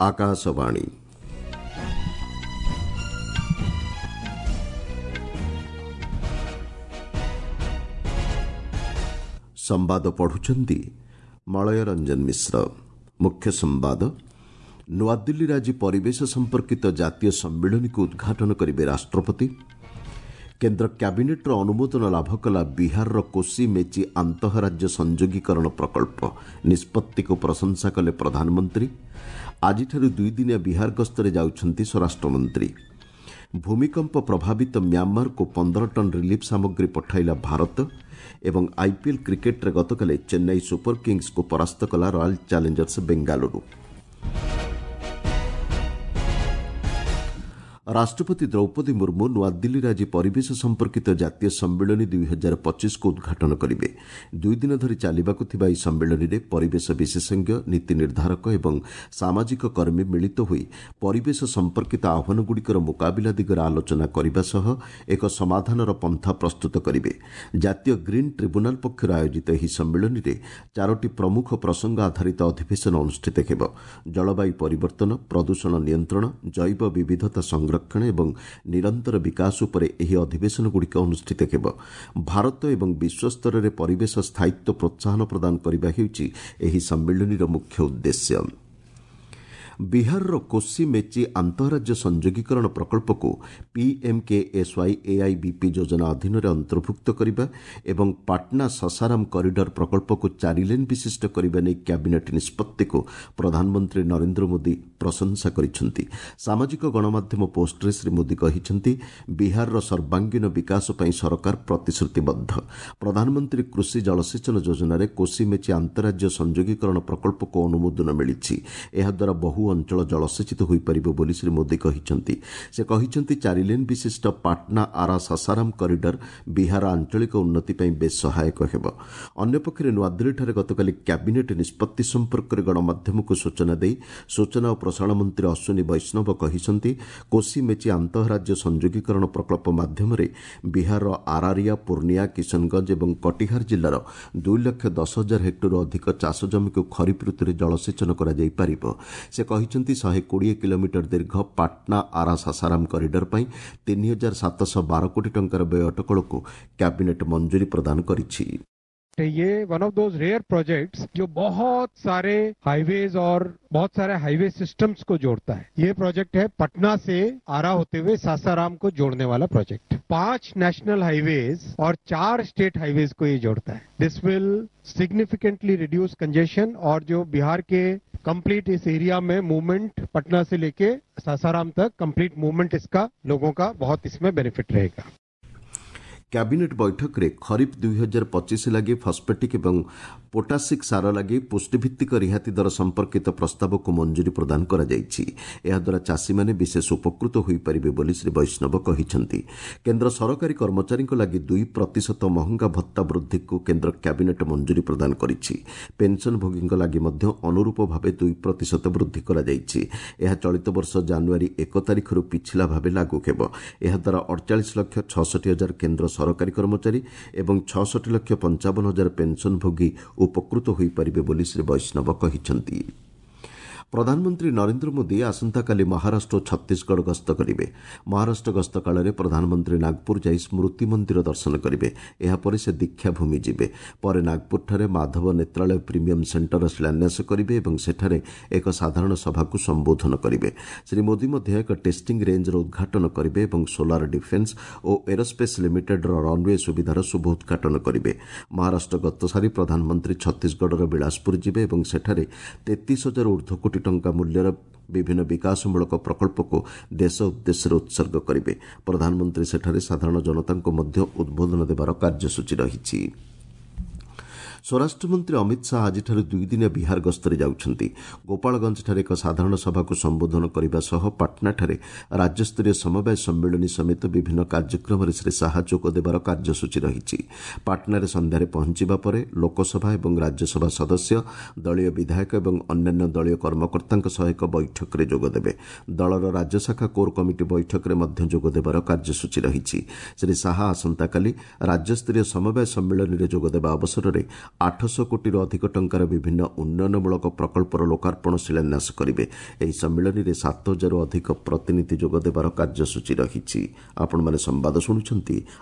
ଆକାଶବାଣୀ। ସମ୍ବାଦ ପଢୁଛନ୍ତି ମଳୟ ରଞ୍ଜନ ମିଶ୍ର। ମୁଖ୍ୟ ସମ୍ବାଦ। ନୂଆଦିଲ୍ଲୀରେ ଆଜି ପରିବେଶ ସମ୍ପର୍କିତ ଜାତୀୟ ସମ୍ମିଳନୀକୁ ଉଦ୍ଘାଟନ କରିବେ ରାଷ୍ଟ୍ରପତି। କେନ୍ଦ୍ର କ୍ୟାବିନେଟ୍ର ଅନୁମୋଦନ ଲାଭ କଲା ବିହାରର କୋସି ମେଚି ଆନ୍ତଃରାଜ୍ୟ ସଂଯୋଗୀକରଣ ପ୍ରକଳ୍ପ। ନିଷ୍ପତ୍ତିକୁ ପ୍ରଶଂସା କଲେ ପ୍ରଧାନମନ୍ତ୍ରୀ। ଆଜିଠାରୁ ଦୁଇଦିନିଆ ବିହାର ଗସ୍ତରେ ଯାଉଛନ୍ତି ସ୍ୱରାଷ୍ଟ୍ରମନ୍ତ୍ରୀ। ଭୂମିକମ୍ପ ପ୍ରଭାବିତ ମ୍ୟାଁମାରକୁ 15 ଟନ୍ ରିଲିଫ୍ ସାମଗ୍ରୀ ପଠାଇଲା ଭାରତ। ଏବଂ ଆଇପିଏଲ୍ କ୍ରିକେଟ୍ରେ ଗତକାଲି ଚେନ୍ନାଇ ସୁପର କିଙ୍ଗସ୍କୁ ପରାସ୍ତ କଲା ରୟାଲ୍ ଚ୍ୟାଲେଞ୍ଜର୍ସ ବେଙ୍ଗାଲୁରୁ। ରାଷ୍ଟ୍ରପତି ଦ୍ରୌପଦୀ ମୁର୍ମୁ ନୂଆଦିଲ୍ଲୀରେ ଆଜି ପରିବେଶ ସମ୍ପର୍କିତ ଜାତୀୟ ସମ୍ମିଳନୀ 2025କୁ ଉଦ୍ଘାଟନ କରିବେ। ଦୁଇଦିନ ଧରି ଚାଲିବାକୁ ଥିବା ଏହି ସମ୍ମିଳନୀରେ ପରିବେଶ ବିଶେଷଜ୍ଞ, ନୀତି ନିର୍ଦ୍ଧାରକ ଏବଂ ସାମାଜିକ କର୍ମୀ ମିଳିତ ହୋଇ ପରିବେଶ ସମ୍ପର୍କିତ ଆହ୍ୱାନଗୁଡ଼ିକର ମୁକାବିଲା ଦିଗରେ ଆଲୋଚନା କରିବା ସହ ଏକ ସମାଧାନର ପନ୍ଥା ପ୍ରସ୍ତୁତ କରିବେ। ଜାତୀୟ ଗ୍ରୀନ୍ ଟ୍ରିବ୍ୟୁନାଲ୍ ପକ୍ଷରୁ ଆୟୋଜିତ ଏହି ସମ୍ମିଳନୀରେ ଚାରୋଟି ପ୍ରମୁଖ ପ୍ରସଙ୍ଗ ଆଧାରିତ ଅଧିବେଶନ ଅନୁଷ୍ଠିତ ହେବ। ଜଳବାୟୁ ପରିବର୍ତ୍ତନ, ପ୍ରଦୂଷଣ ନିୟନ୍ତ୍ରଣ, ଜୈବ ବିବିଧତା ସଂରକ୍ଷଣ ଏବଂ ନିରନ୍ତର ବିକାଶ ଉପରେ ଏହି ଅଧିବେଶନଗୁଡ଼ିକ ଅନୁଷ୍ଠିତ ହେବ। ଭାରତ ଏବଂ ବିଶ୍ୱସ୍ତରରେ ପରିବେଶ ସ୍ଥାୟିତ୍ୱ ପ୍ରୋତ୍ସାହନ ପ୍ରଦାନ କରିବା ହେଉଛି ଏହି ସମ୍ମିଳନୀର ମୁଖ୍ୟ ଉଦ୍ଦେଶ୍ୟ। ବିହାରର କୋସି ମେଚି ଆନ୍ତଃରାଜ୍ୟ ସଂଯୋଗୀକରଣ ପ୍ରକଳ୍ପକୁ ପିଏମ୍କେଏସ୍ୱାଇ ଏଆଇବିପି ଯୋଜନା ଅଧୀନରେ ଅନ୍ତର୍ଭୁକ୍ତ କରିବା ଏବଂ ପାଟନା ସସାରାମ କରିଡର ପ୍ରକଳ୍ପକୁ ଚାରିଲେନ୍ ବିଶିଷ୍ଟ କରିବା ନେଇ କ୍ୟାବିନେଟ୍ ନିଷ୍ପତ୍ତିକୁ ପ୍ରଧାନମନ୍ତ୍ରୀ ନରେନ୍ଦ୍ର ମୋଦି ପ୍ରଶଂସା କରିଛନ୍ତି। ସାମାଜିକ ଗଣମାଧ୍ୟମ ପୋଷ୍ଟରେ ଶ୍ରୀ ମୋଦି କହିଛନ୍ତି, ବିହାରର ସର୍ବାଙ୍ଗୀନ ବିକାଶ ପାଇଁ ସରକାର ପ୍ରତିଶ୍ରୁତିବଦ୍ଧ। ପ୍ରଧାନମନ୍ତ୍ରୀ କୃଷି ଜଳସେଚନ ଯୋଜନାରେ କୋସି ମେଚି ଆନ୍ତଃରାଜ୍ୟ ସଂଯୋଗୀକରଣ ପ୍ରକଳ୍ପକୁ ଅନୁମୋଦନ ମିଳିଛି। ଏହାଦ୍ୱାରା ବହୁ ଅଞ୍ଚଳ ଜଳସେଚିତ ହୋଇପାରିବ ବୋଲି ଶ୍ରୀ ମୋଦି କହିଛନ୍ତି। ସେ କହିଛନ୍ତି, ଚାରିଲେନ୍ ବିଶିଷ୍ଟ ପାଟନା ଆରା ସାସାରାମ କରିଡର ବିହାର ଆଞ୍ଚଳିକ ଉନ୍ନତି ପାଇଁ ବେଶ୍ ସହାୟକ ହେବ। ଅନ୍ୟପକ୍ଷରେ ନୂଆଦିଲ୍ଲୀଠାରେ ଗତକାଲି କ୍ୟାବିନେଟ୍ ନିଷ୍ପତ୍ତି ସମ୍ପର୍କରେ ଗଣମାଧ୍ୟମକୁ ସୂଚନା ଦେଇ ସୂଚନା ଓ ପ୍ରସାରଣ ମନ୍ତ୍ରୀ ଅଶ୍ୱିନୀ ବୈଷ୍ଣବ କହିଛନ୍ତି, କୋସି ମେଚି ଆନ୍ତଃରାଜ୍ୟ ସଂଯୋଗୀକରଣ ପ୍ରକଳ୍ପ ମାଧ୍ୟମରେ ବିହାରର ଆରାରିଆ, ପୂର୍ଣ୍ଣିଆ, କିଶନଗଞ୍ଜ ଏବଂ କଟିହାର ଜିଲ୍ଲାର 2,10,000 ହେକ୍ଟରରୁ ଅଧିକ ଚାଷ ଜମିକୁ ଖରିଫ ଋତୁରେ ଜଳସେଚନ କରାଯାଇପାରିବ। ସେ କହିଛନ୍ତି, 120 କିଲୋମିଟର ଦୀର୍ଘ ପାଟନା ଆରା ସାସାରାମ କରିଡର ପାଇଁ 3712 କୋଟି ଟଙ୍କାର ବ୍ୟୟ ଅଟକଳକୁ କ୍ୟାବିନେଟ୍ ମଞ୍ଜୁରୀ ପ୍ରଦାନ କରିଛି। ये one of those rare projects जो बहुत सारे हाईवेज और बहुत सारे हाईवे सिस्टम्स को जोड़ता है। ये प्रोजेक्ट है पटना से आरा होते हुए सासाराम को जोड़ने वाला प्रोजेक्ट। 5 नेशनल हाईवेज और 4 स्टेट हाईवेज को ये जोड़ता है। This will significantly reduce congestion और जो बिहार के कंप्लीट इस एरिया में मूवमेंट पटना से लेके सासाराम तक कंप्लीट मूवमेंट इसका लोगों का बहुत इसमें बेनिफिट रहेगा। କ୍ୟାବିନେଟ୍ ବୈଠକରେ ଖରିଫ୍ 2025 ଲାଗି ଫସ୍ଫେଟିକ୍ ଏବଂ ପୋଟାସିକ୍ ସାର ଲାଗି ପୁଷ୍ଟିଭିତ୍ତିକ ରିହାତି ଦର ସମ୍ପର୍କିତ ପ୍ରସ୍ତାବକୁ ମଞ୍ଜୁରୀ ପ୍ରଦାନ କରାଯାଇଛି। ଏହାଦ୍ୱାରା ଚାଷୀମାନେ ବିଶେଷ ଉପକୃତ ହୋଇପାରିବେ ବୋଲି ଶ୍ରୀ ବୈଷ୍ଣବ କହିଛନ୍ତି। କେନ୍ଦ୍ର ସରକାରୀ କର୍ମଚାରୀଙ୍କ ଲାଗି 2% ମହଙ୍ଗା ଭତ୍ତା ବୃଦ୍ଧିକୁ କେନ୍ଦ୍ର କ୍ୟାବିନେଟ୍ ମଞ୍ଜୁରୀ ପ୍ରଦାନ କରିଛି। ପେନ୍ସନ୍ଭୋଗୀଙ୍କ ଲାଗି ମଧ୍ୟ ଅନୁରୂପ ଭାବେ 2% ବୃଦ୍ଧି କରାଯାଇଛି। ଏହା ଚଳିତ ବର୍ଷ ଜାନୁଆରୀ 1 ତାରିଖରୁ ପିଛିଲା ଭାବେ ଲାଗୁ ହେବ। ଏହାଦ୍ୱାରା 48,66,000 କେନ୍ଦ୍ର ସରକାରୀ କର୍ମଚାରୀ ଏବଂ 66,55,000 ପେନ୍ସନ୍ଭୋଗୀ ଉପକୃତ ହୋଇପାରିବେ ବୋଲି ଶ୍ରୀ ବୈଷ୍ଣବ କହିଛନ୍ତି। ପ୍ରଧାନମନ୍ତ୍ରୀ ନରେନ୍ଦ୍ର ମୋଦି ଆସନ୍ତାକାଲି ମହାରାଷ୍ଟ୍ର ଓ ଛତିଶଗଡ଼ ଗସ୍ତ କରିବେ। ମହାରାଷ୍ଟ୍ର ଗସ୍ତ କାଳରେ ପ୍ରଧାନମନ୍ତ୍ରୀ ନାଗପୁର ଯାଇ ସ୍ମୃତି ମନ୍ଦିର ଦର୍ଶନ କରିବେ। ଏହାପରେ ସେ ଦୀକ୍ଷାଭୂମି ଯିବେ। ପରେ ନାଗପୁରଠାରେ ମାଧବ ନେତ୍ରାଳୟ ପ୍ରିମିୟମ୍ ସେଣ୍ଟରର ଶିଳାନ୍ୟାସ କରିବେ ଏବଂ ସେଠାରେ ଏକ ସାଧାରଣ ସଭାକୁ ସମ୍ବୋଧନ କରିବେ। ଶ୍ରୀ ମୋଦି ମଧ୍ୟ ଏକ ଟେଷ୍ଟିଂ ରେଞ୍ଜର ଉଦ୍ଘାଟନ କରିବେ ଏବଂ ସୋଲାର ଡିଫେନ୍ସ ଓ ଏରୋସ୍ପେସ୍ ଲିମିଟେଡ୍ର ରନ୍ୱେ ସୁବିଧାର ଶୁଭ ଉଦ୍ଘାଟନ କରିବେ। ମହାରାଷ୍ଟ୍ର ଗସ୍ତ ସାରି ପ୍ରଧାନମନ୍ତ୍ରୀ ଛତିଶଗଡ଼ର ବିଳାସପୁର ଯିବେ ଏବଂ ସେଠାରେ 33,000 ଉର୍ଦ୍ଧ୍ୱ କୋଟି ଟଙ୍କା ମୂଲ୍ୟର ବିଭିନ୍ନ ବିକାଶମୂଳକ ପ୍ରକଳ୍ପକୁ ଦେଶ ଉଦ୍ଦେଶ୍ୟରେ ଉତ୍ସର୍ଗ କରିବେ। ପ୍ରଧାନମନ୍ତ୍ରୀ ସେଠାରେ ସାଧାରଣ ଜନତାଙ୍କୁ ମଧ୍ୟ ଉଦ୍ବୋଧନ ଦେବାର କାର୍ଯ୍ୟସୂଚୀ ରହିଛି। ସ୍ୱରାଷ୍ଟ୍ରମନ୍ତ୍ରୀ ଅମିତ ଶାହା ଆଜିଠାରୁ ଦୁଇଦିନିଆ ବିହାର ଗସ୍ତରେ ଯାଉଛନ୍ତି। ଗୋପାଳଗଞ୍ଜଠାରେ ଏକ ସାଧାରଣ ସଭାକୁ ସମ୍ବୋଧନ କରିବା ସହ ପାଟନାଠାରେ ରାଜ୍ୟସ୍ତରୀୟ ସମବାୟ ସମ୍ମିଳନୀ ସମେତ ବିଭିନ୍ନ କାର୍ଯ୍ୟକ୍ରମରେ ଶ୍ରୀ ଶାହା ଯୋଗ ଦେବାର କାର୍ଯ୍ୟସୂଚୀ ରହିଛି। ପାଟନାରେ ସନ୍ଧ୍ୟାରେ ପହଞ୍ଚିବା ପରେ ଲୋକସଭା ଏବଂ ରାଜ୍ୟସଭା ସଦସ୍ୟ, ଦଳୀୟ ବିଧାୟକ ଏବଂ ଅନ୍ୟାନ୍ୟ ଦଳୀୟ କର୍ମକର୍ତ୍ତାଙ୍କ ସହ ଏକ ବୈଠକରେ ଯୋଗଦେବେ। ଦଳର ରାଜ୍ୟଶାଖା କୋର୍ କମିଟି ବୈଠକରେ ମଧ୍ୟ ଯୋଗଦେବାର କାର୍ଯ୍ୟସୂଚୀ ରହିଛି। ଶ୍ରୀ ଶାହା ଆସନ୍ତାକାଲି ରାଜ୍ୟସ୍ତରୀୟ ସମବାୟ ସମ୍ମିଳନୀରେ ଯୋଗଦେବା ଅବସରରେ 800 କୋଟିରୁ ଅଧିକ ଟଙ୍କାର ବିଭିନ୍ନ ଉନ୍ନୟନମୂଳକ ପ୍ରକଳ୍ପର ଲୋକାର୍ପଣ, ଶିଳାନ୍ୟାସ କରିବେ। ଏହି ସମ୍ମିଳନୀରେ 7000ରୁ ଅଧିକ ପ୍ରତିନିଧି ଯୋଗଦେବାର କାର୍ଯ୍ୟସୂଚୀ ରହିଛି। ଆପଣମାନେ ସମ୍ବାଦ ଶୁଣୁଛନ୍ତି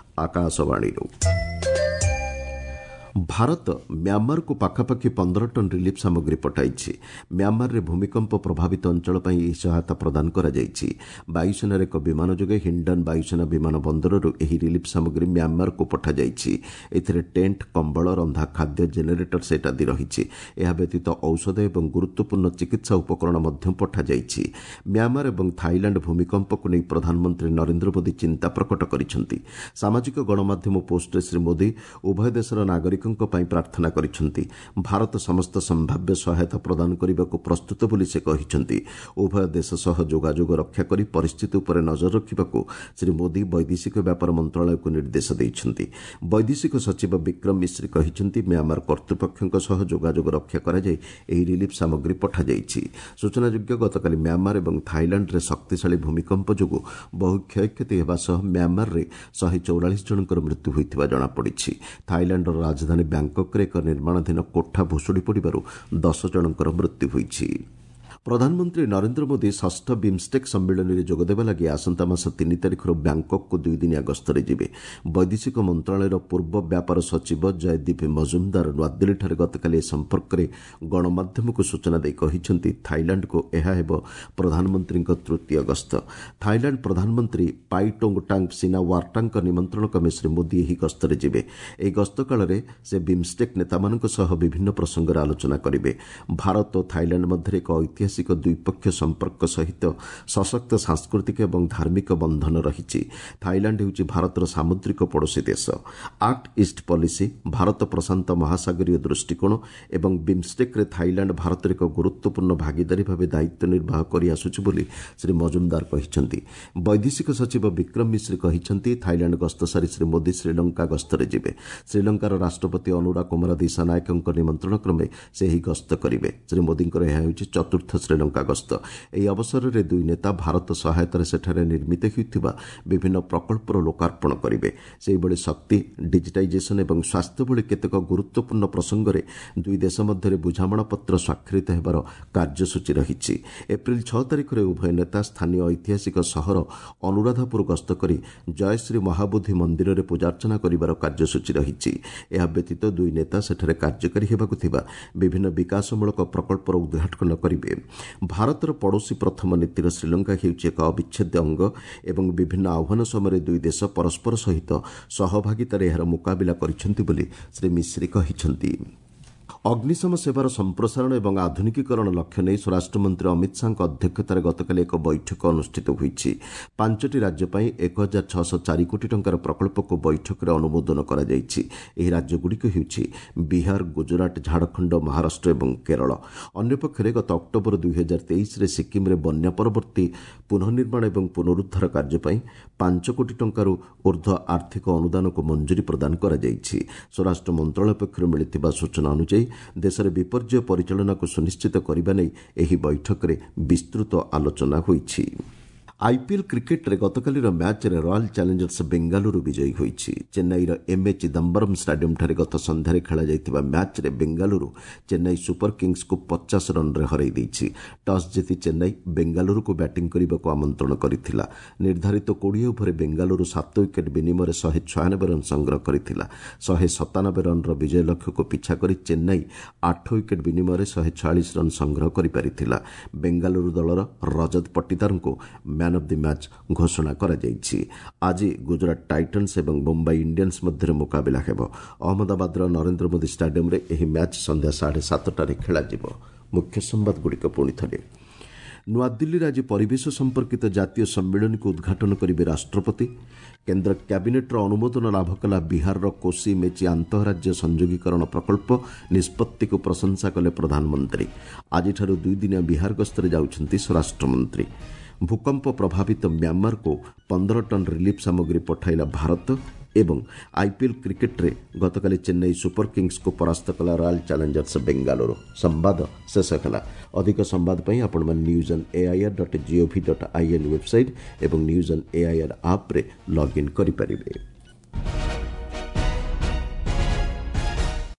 ଆକାଶବାଣୀରୁ। ଭାରତ ମ୍ୟାମାରକୁ ପାଖାପାଖି 15 ଟନ୍ ରିଲିଫ୍ ସାମଗ୍ରୀ ପଠାଇଛି। ମ୍ୟାମାରରେ ଭୂମିକମ୍ପ ପ୍ରଭାବିତ ଅଞ୍ଚଳ ପାଇଁ ଏହି ସହାୟତା ପ୍ରଦାନ କରାଯାଇଛି। ବାୟୁସେନାର ଏକ ବିମାନ ଯୋଗେ ହିଣ୍ଡନ୍ ବାୟୁସେନା ବିମାନ ବନ୍ଦରରୁ ଏହି ରିଲିଫ୍ ସାମଗ୍ରୀ ମ୍ୟାମାରକୁ ପଠାଯାଇଛି। ଏଥିରେ ଟେଣ୍ଟ, କମ୍ବଳ, ରନ୍ଧା ଖାଦ୍ୟ, ଜେନେରେଟର ସେଟ୍ ଆଦି ରହିଛି। ଏହା ବ୍ୟତୀତ ଔଷଧ ଏବଂ ଗୁରୁତ୍ୱପୂର୍ଣ୍ଣ ଚିକିତ୍ସା ଉପକରଣ ମଧ୍ୟ ପଠାଯାଇଛି। ମ୍ୟାମାର ଏବଂ ଥାଇଲାଣ୍ଡ ଭୂମିକମ୍ପକୁ ନେଇ ପ୍ରଧାନମନ୍ତ୍ରୀ ନରେନ୍ଦ୍ର ମୋଦି ଚିନ୍ତା ପ୍ରକଟ କରିଛନ୍ତି। ସାମାଜିକ ଗଣମାଧ୍ୟମ ପୋଷ୍ଟରେ ଶ୍ରୀ ମୋଦି ଉଭୟ ଦେଶର ନାଗରିକଙ୍କ ପାଇଁ ପ୍ରାର୍ଥନା କରିଛନ୍ତି। ଭାରତ ସମସ୍ତ ସମ୍ଭାବ୍ୟ ସହାୟତା ପ୍ରଦାନ କରିବାକୁ ପ୍ରସ୍ତୁତ ବୋଲି ସେ କହିଛନ୍ତି। ଉଭୟ ଦେଶ ସହ ଯୋଗାଯୋଗ ରକ୍ଷା କରି ପରିସ୍ଥିତି ଉପରେ ନଜର ରଖିବାକୁ ଶ୍ରୀ ମୋଦି ବୈଦେଶିକ ବ୍ୟାପାର ମନ୍ତ୍ରଣାଳୟକୁ ନିର୍ଦ୍ଦେଶ ଦେଇଛନ୍ତି। ବୈଦେଶିକ ସଚିବ ବିକ୍ରମ ମିଶ୍ରି କହିଛନ୍ତି, ମ୍ୟାମାର କର୍ତ୍ତୃପକ୍ଷଙ୍କ ସହ ଯୋଗାଯୋଗ ରକ୍ଷା କରାଯାଇ ଏହି ରିଲିଫ୍ ସାମଗ୍ରୀ ପଠାଯାଇଛି। ସୂଚନାଯୋଗ୍ୟ, ଗତକାଲି ମ୍ୟାମାର ଏବଂ ଥାଇଲାଣ୍ଡରେ ଶକ୍ତିଶାଳୀ ଭୂମିକମ୍ପ ଯୋଗୁଁ ବହୁ କ୍ଷୟକ୍ଷତି ହେବା ସହ ମ୍ୟାମାରରେ 144 ଜଣଙ୍କର ମୃତ୍ୟୁ ହୋଇଥିବା ଜଣାପଡ଼ିଛି। ଥାଇଲାଣ୍ଡର ରାଜଧାନୀ ବ୍ୟାଙ୍କକରେ ଏକ ନିର୍ମାଣାଧୀନ କୋଠା ଭୁଶୁଡ଼ି ପଡ଼ିବାରୁ 10 ଜଣଙ୍କର ମୃତ୍ୟୁ ହୋଇଛି। ପ୍ରଧାନମନ୍ତ୍ରୀ ନରେନ୍ଦ୍ର ମୋଦି ଷଷ୍ଠ ବିମ୍ଷ୍ଟେକ୍ ସମ୍ମିଳନୀରେ ଯୋଗଦେବା ଲାଗି ଆସନ୍ତା ମାସ 3 ତାରିଖରୁ ବ୍ୟାଙ୍କକକୁ ଦୁଇଦିନିଆ ଗସ୍ତରେ ଯିବେ। ବୈଦେଶିକ ମନ୍ତ୍ରଣାଳୟର ପୂର୍ବ ବ୍ୟାପାର ସଚିବ ଜୟଦୀପ ମଜୁମଦାର ନୂଆଦିଲ୍ଲୀଠାରେ ଗତକାଲି ଏ ସମ୍ପର୍କରେ ଗଣମାଧ୍ୟମକୁ ସୂଚନା ଦେଇ କହିଛନ୍ତି, ଥାଇଲାଣ୍ଡକୁ ଏହା ହେବ ପ୍ରଧାନମନ୍ତ୍ରୀଙ୍କ ତୃତୀୟ ଗସ୍ତ। ଥାଇଲାଣ୍ଡ ପ୍ରଧାନମନ୍ତ୍ରୀ ପାଇଟୋଙ୍ଗଟାଙ୍ଗ ସିନାୱାର୍ଟାଙ୍କ ନିମନ୍ତ୍ରଣ କ୍ରମେ ଶ୍ରୀ ମୋଦି ଏହି ଗସ୍ତରେ ଯିବେ। ଏହି ଗସ୍ତ କାଳରେ ସେ ବିମ୍ଷ୍ଟେକ୍ ନେତାମାନଙ୍କ ସହ ବିଭିନ୍ନ ପ୍ରସଙ୍ଗରେ ଆଲୋଚନା କରିବେ। ଭାରତ ଓ ଥାଇଲାଣ୍ଡ ମଧ୍ୟରେ ଏକ ଐତିହାସିକ ଦ୍ୱିପକ୍ଷୀୟ ସମ୍ପର୍କ ସହିତ ସଶକ୍ତ ସାଂସ୍କୃତିକ ଏବଂ ଧାର୍ମିକ ବନ୍ଧନ ରହିଛି। ଥାଇଲାଣ୍ଡ ହେଉଛି ଭାରତର ସାମୁଦ୍ରିକ ପଡ଼ୋଶୀ ଦେଶ। Act east policy, Bharat Prashant ମହାସାଗରୀୟ ଦୃଷ୍ଟିକୋଣ ଏବଂ ବିମ୍ଷ୍ଟେକ୍ରେ ଥାଇଲାଣ୍ଡ ଭାରତର ଏକ ଗୁରୁତ୍ୱପୂର୍ଣ୍ଣ ଭାଗିଦାରୀ ଭାବେ ଦାୟିତ୍ୱ ନିର୍ବାହ କରିଆସୁଛି ବୋଲି ଶ୍ରୀ ମଜୁମଦାର କହିଛନ୍ତି। ବୈଦେଶିକ ସଚିବ ବିକ୍ରମ ମିଶ୍ରି କହିଛନ୍ତି, ଥାଇଲାଣ୍ଡ ଗସ୍ତ ସାରି ଶ୍ରୀ ମୋଦି ଶ୍ରୀଲଙ୍କା ଗସ୍ତରେ ଯିବେ। ଶ୍ରୀଲଙ୍କାର ରାଷ୍ଟ୍ରପତି ଅନୁରା କୁମାର ଦିଶାନାୟକଙ୍କ ନିମନ୍ତ୍ରଣ କ୍ରମେ ସେ ଏହି ଗସ୍ତ କରିବେ। ଶ୍ରୀ ମୋଦିଙ୍କର ଏହା ହେଉଛି ଚତୁର୍ଥ ଶ୍ରୀଲଙ୍କା ଗସ୍ତ। ଏହି ଅବସରରେ ଦୁଇ ନେତା ଭାରତ ସହାୟତାରେ ସେଠାରେ ନିର୍ମିତ ହେଉଥିବା ବିଭିନ୍ନ ପ୍ରକଳ୍ପର ଲୋକାର୍ପଣ କରିବେ। ସେହିଭଳି ଶକ୍ତି, ଡିଜିଟାଇଜେସନ ଏବଂ ସ୍ୱାସ୍ଥ୍ୟ ଭଳି କେତେକ ଗୁରୁତ୍ୱପୂର୍ଣ୍ଣ ପ୍ରସଙ୍ଗରେ ଦୁଇ ଦେଶ ମଧ୍ୟରେ ବୁଝାମଣାପତ୍ର ସ୍ୱାକ୍ଷରିତ ହେବାର କାର୍ଯ୍ୟସୂଚୀ ରହିଛି। ଏପ୍ରିଲ 6 ତାରିଖରେ ଉଭୟ ନେତା ସ୍ଥାନୀୟ ଐତିହାସିକ ସହର ଅନୁରାଧାପୁର ଗସ୍ତ କରି ଜୟଶ୍ରୀ ମହାବୋଧି ମନ୍ଦିରରେ ପୂଜାର୍ଚ୍ଚନା କରିବାର କାର୍ଯ୍ୟସୂଚୀ ରହିଛି। ଏହା ବ୍ୟତୀତ ଦୁଇ ନେତା ସେଠାରେ କାର୍ଯ୍ୟକାରୀ ହେବାକୁ ଥିବା ବିଭିନ୍ନ ବିକାଶମୂଳକ ପ୍ରକଳ୍ପର ଉଦ୍ଘାଟନ କରିବେ। ଭାରତର ପଡ଼ୋଶୀ ପ୍ରଥମ ନୀତିର ଶ୍ରୀଲଙ୍କା ହେଉଛି ଏକ ଅବିଚ୍ଛେଦ୍ୟ ଅଙ୍ଗ ଏବଂ ବିଭିନ୍ନ ଆହ୍ୱାନ ସମୟରେ ଦୁଇ ଦେଶ ପରସ୍ପର ସହିତ ସହଭାଗିତାରେ ଏହାର ମୁକାବିଲା କରିଛନ୍ତି ବୋଲି ଶ୍ରୀ ମିଶ୍ରି କହିଛନ୍ତି। ଅଗ୍ନିଶମ ସେବାର ସମ୍ପ୍ରସାରଣ ଏବଂ ଆଧୁନିକୀକରଣ ଲକ୍ଷ୍ୟ ନେଇ ସ୍ୱରାଷ୍ଟ୍ରମନ୍ତ୍ରୀ ଅମିତ ଶାହାଙ୍କ ଅଧ୍ୟକ୍ଷତାରେ ଗତକାଲି ଏକ ବୈଠକ ଅନୁଷ୍ଠିତ ହୋଇଛି। 5ଟି ରାଜ୍ୟ ପାଇଁ 1604 କୋଟି ଟଙ୍କାର ପ୍ରକଳ୍ପକୁ ବୈଠକରେ ଅନୁମୋଦନ କରାଯାଇଛି। ଏହି ରାଜ୍ୟଗୁଡ଼ିକ ହେଉଛି ବିହାର, ଗୁଜରାଟ, ଝାଡ଼ଖଣ୍ଡ, ମହାରାଷ୍ଟ୍ର ଏବଂ କେରଳ। ଅନ୍ୟପକ୍ଷରେ ଗତ ଅକ୍ଟୋବର 2023ରେ ସିକ୍କିମ୍ରେ ବନ୍ୟା ପରବର୍ତ୍ତୀ ପୁନଃନିର୍ମାଣ ଏବଂ ପୁନରୁଦ୍ଧାର କାର୍ଯ୍ୟ ପାଇଁ 5 କୋଟି ଟଙ୍କାରୁ ଉର୍ଦ୍ଧ୍ୱ ଆର୍ଥିକ ଅନୁଦାନକୁ ମଞ୍ଜୁରୀ ପ୍ରଦାନ କରାଯାଇଛି। ସ୍ୱରାଷ୍ଟ୍ର ମନ୍ତ୍ରଣାଳୟ ପକ୍ଷରୁ ମିଳିଥିବା ସୂଚନା ଅନୁଯାୟୀ ଦେଶରେ ବିପର୍ଯ୍ୟୟ ପରିଚାଳନାକୁ ସୁନିଶ୍ଚିତ କରିବା ନେଇ ଏହି ବୈଠକରେ ବିସ୍ତୃତ ଆଲୋଚନା ହୋଇଛି। ଆଇପିଏଲ୍ କ୍ରିକେଟ୍ରେ ଗତକାଲିର ମ୍ୟାଚ୍ରେ ରୟାଲ୍ ଚ୍ୟାଲେଞ୍ଜର୍ସ ବେଙ୍ଗାଲୁରୁ ବିଜୟୀ ହୋଇଛି। ଚେନ୍ନାଇର ଏମ୍ଏ ଚିଦାମ୍ବରମ୍ ଷ୍ଟାଡିୟମ୍ଠାରେ ଗତ ସନ୍ଧ୍ୟାରେ ଖେଳାଯାଇଥିବା ମ୍ୟାଚ୍ରେ ବେଙ୍ଗାଲୁରୁ ଚେନ୍ନାଇ ସୁପର କିଙ୍ଗସ୍କୁ 50 ରନ୍ରେ ହରାଇ ଦେଇଛି। ଟସ୍ ଜିତି ଚେନ୍ନାଇ ବେଙ୍ଗାଲୁରୁକୁ ବ୍ୟାଟିଂ କରିବାକୁ ଆମନ୍ତ୍ରଣ କରିଥିଲା। ନିର୍ଦ୍ଧାରିତ 20 ଓଭରରେ ବେଙ୍ଗାଲୁରୁ 7 ୱିକେଟ୍ ବିନିମୟରେ 196 ରନ୍ ସଂଗ୍ରହ କରିଥିଲା। 197 ରନ୍ର ବିଜୟ ଲକ୍ଷ୍ୟକୁ ପିଛା କରି ଚେନ୍ନାଇ 8 ୱିକେଟ୍ ବିନିମୟରେ 146 ରନ୍ ସଂଗ୍ରହ କରିପାରିଥିଲା। ବେଙ୍ଗାଲୁରୁ ଦଳର ରଜତ ପଟ୍ଟିଦାରଙ୍କୁ ମ୍ୟାନ୍ ଅଫ୍ the match ଘୋଷଣା କରାଯାଇଛି। ଆଜି ଗୁଜରାଟ ଟାଇଟନ୍ସ ଏବଂ ମୁମ୍ବାଇ ଇଣ୍ଡିଆନ୍ସ ମଧ୍ୟରେ ମୁକାବିଲା ହେବ। ଅହମ୍ମଦାବାଦର ନରେନ୍ଦ୍ର ମୋଦି ଷ୍ଟାଡିୟମ୍ରେ ଏହି ମ୍ୟାଚ୍ ସନ୍ଧ୍ୟା 7:30ରେ ଖେଳାଯିବ। ମୁଖ୍ୟ ସମ୍ବାଦଗୁଡ଼ିକ ପୁଣି ଥରେ। ନୂଆଦିଲ୍ଲୀରେ ଆଜି ପରିବେଶ ସମ୍ପର୍କିତ ଜାତୀୟ ସମ୍ମିଳନୀକୁ ଉଦ୍ଘାଟନ କରିବେ ରାଷ୍ଟ୍ରପତି। କେନ୍ଦ୍ର କ୍ୟାବିନେଟ୍ର ଅନୁମୋଦନ ଲାଭ କଲା ବିହାରର କୋସି ମେଚି ଆନ୍ତଃରାଜ୍ୟ ସଂଯୋଗୀକରଣ ପ୍ରକଳ୍ପ, ନିଷ୍ପତ୍ତିକୁ ପ୍ରଶଂସା କଲେ ପ୍ରଧାନମନ୍ତ୍ରୀ। ଆଜିଠାରୁ ଦୁଇଦିନିଆ ବିହାର ଗସ୍ତରେ ଯାଉଛନ୍ତି ସ୍ୱରାଷ୍ଟ୍ରମନ୍ତ୍ରୀ। ଭୂକମ୍ପ ପ୍ରଭାବିତ ମ୍ୟାମାରକୁ 15 ଟନ୍ ରିଲିଫ୍ ସାମଗ୍ରୀ ପଠାଇଲା ଭାରତ। ଏବଂ ଆଇପିଏଲ୍ କ୍ରିକେଟ୍ରେ ଗତକାଲି ଚେନ୍ନାଇ ସୁପର କିଙ୍ଗସ୍କୁ ପରାସ୍ତ କଲା ରୟାଲ୍ ଚ୍ୟାଲେଞ୍ଜର୍ସ ବେଙ୍ଗାଲୁରୁ। ସମ୍ବାଦ ଶେଷ ହେଲା। ଅଧିକ ସମ୍ବାଦ ପାଇଁ ଆପଣମାନେ news on AIR dot GOV dot IN website ଏବଂ ନ୍ୟୁଜ୍ ଅନ୍ ଏଆଇଆର୍ ଆପ୍ରେ ଲଗ୍ଇନ୍ କରିପାରିବେ।